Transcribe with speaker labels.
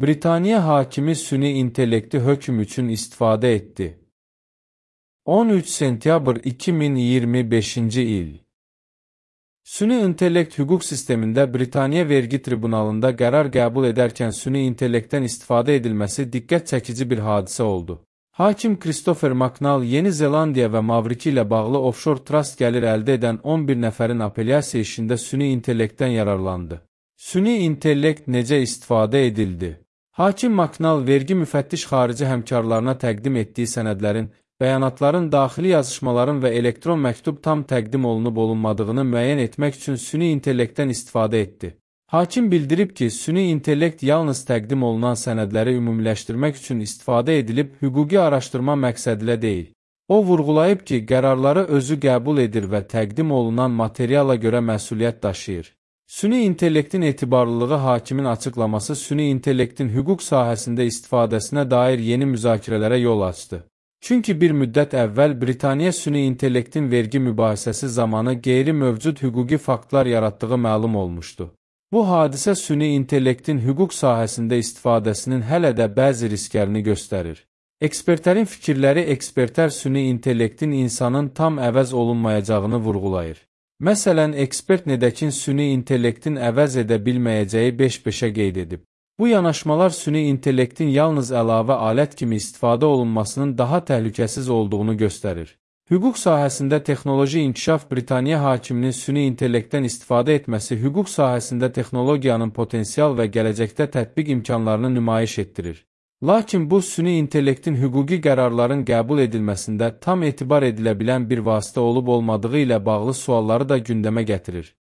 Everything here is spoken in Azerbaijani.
Speaker 1: Britaniya hakimi süni intellekti hökm üçün istifadə etdi. 13 sentyabr 2025-ci il. Süni intellekt hüquq sistemində Britaniya vergi tribunalında qərar qəbul edərkən süni intellektdən istifadə edilməsi diqqət çəkici bir hadisə oldu. Hakim Christopher McNall Yeni Zelandiya və Mavriki ilə bağlı offshore trust gəlir əldə edən 11 nəfərin apellyasiya işində süni intellektdən yararlandı. Süni intellekt necə istifadə edildi? Hakim McNall vergi müfəttiş xarici həmkarlarına təqdim etdiyi sənədlərin, bəyanatların, daxili yazışmaların və elektron məktub tam təqdim olunub-olunmadığını müəyyən etmək üçün süni intellektdən istifadə etdi. Hakim bildirib ki, süni intellekt yalnız təqdim olunan sənədləri ümumiləşdirmək üçün istifadə edilib, hüquqi araşdırma məqsədilə deyil. O vurğulayıb ki, qərarları özü qəbul edir və təqdim olunan materiala görə məsuliyyət daşıyır. Süni intellektin etibarlılığı hakimin açıqlaması süni intellektin hüquq sahəsində istifadəsinə dair yeni müzakirələrə yol açdı. Çünki bir müddət əvvəl Britaniya süni intellektin vergi mübahisəsi zamanı qeyri-mövcud hüquqi faktlar yaratdığı məlum olmuşdu. Bu hadisə süni intellektin hüquq sahəsində istifadəsinin hələ də bəzi risklərini göstərir. Ekspertlərin fikirləri ekspertlər süni intellektin insanın tam əvəz olunmayacağını vurğulayır. Məsələn, ekspert Nedekin süni intellektin əvəz edə bilməyəcəyi 5-5-ə qeyd edib. Bu yanaşmalar süni intellektin yalnız əlavə alət kimi istifadə olunmasının daha təhlükəsiz olduğunu göstərir. Hüquq sahəsində texnoloji inkişaf Britaniya hakiminin süni intellektdən istifadə etməsi hüquq sahəsində texnologiyanın potensial və gələcəkdə tətbiq imkanlarını nümayiş etdirir. Lakin bu, süni intellektin hüquqi qərarların qəbul edilməsində tam etibar edilə bilən bir vasitə olub-olmadığı ilə bağlı sualları da gündəmə gətirir.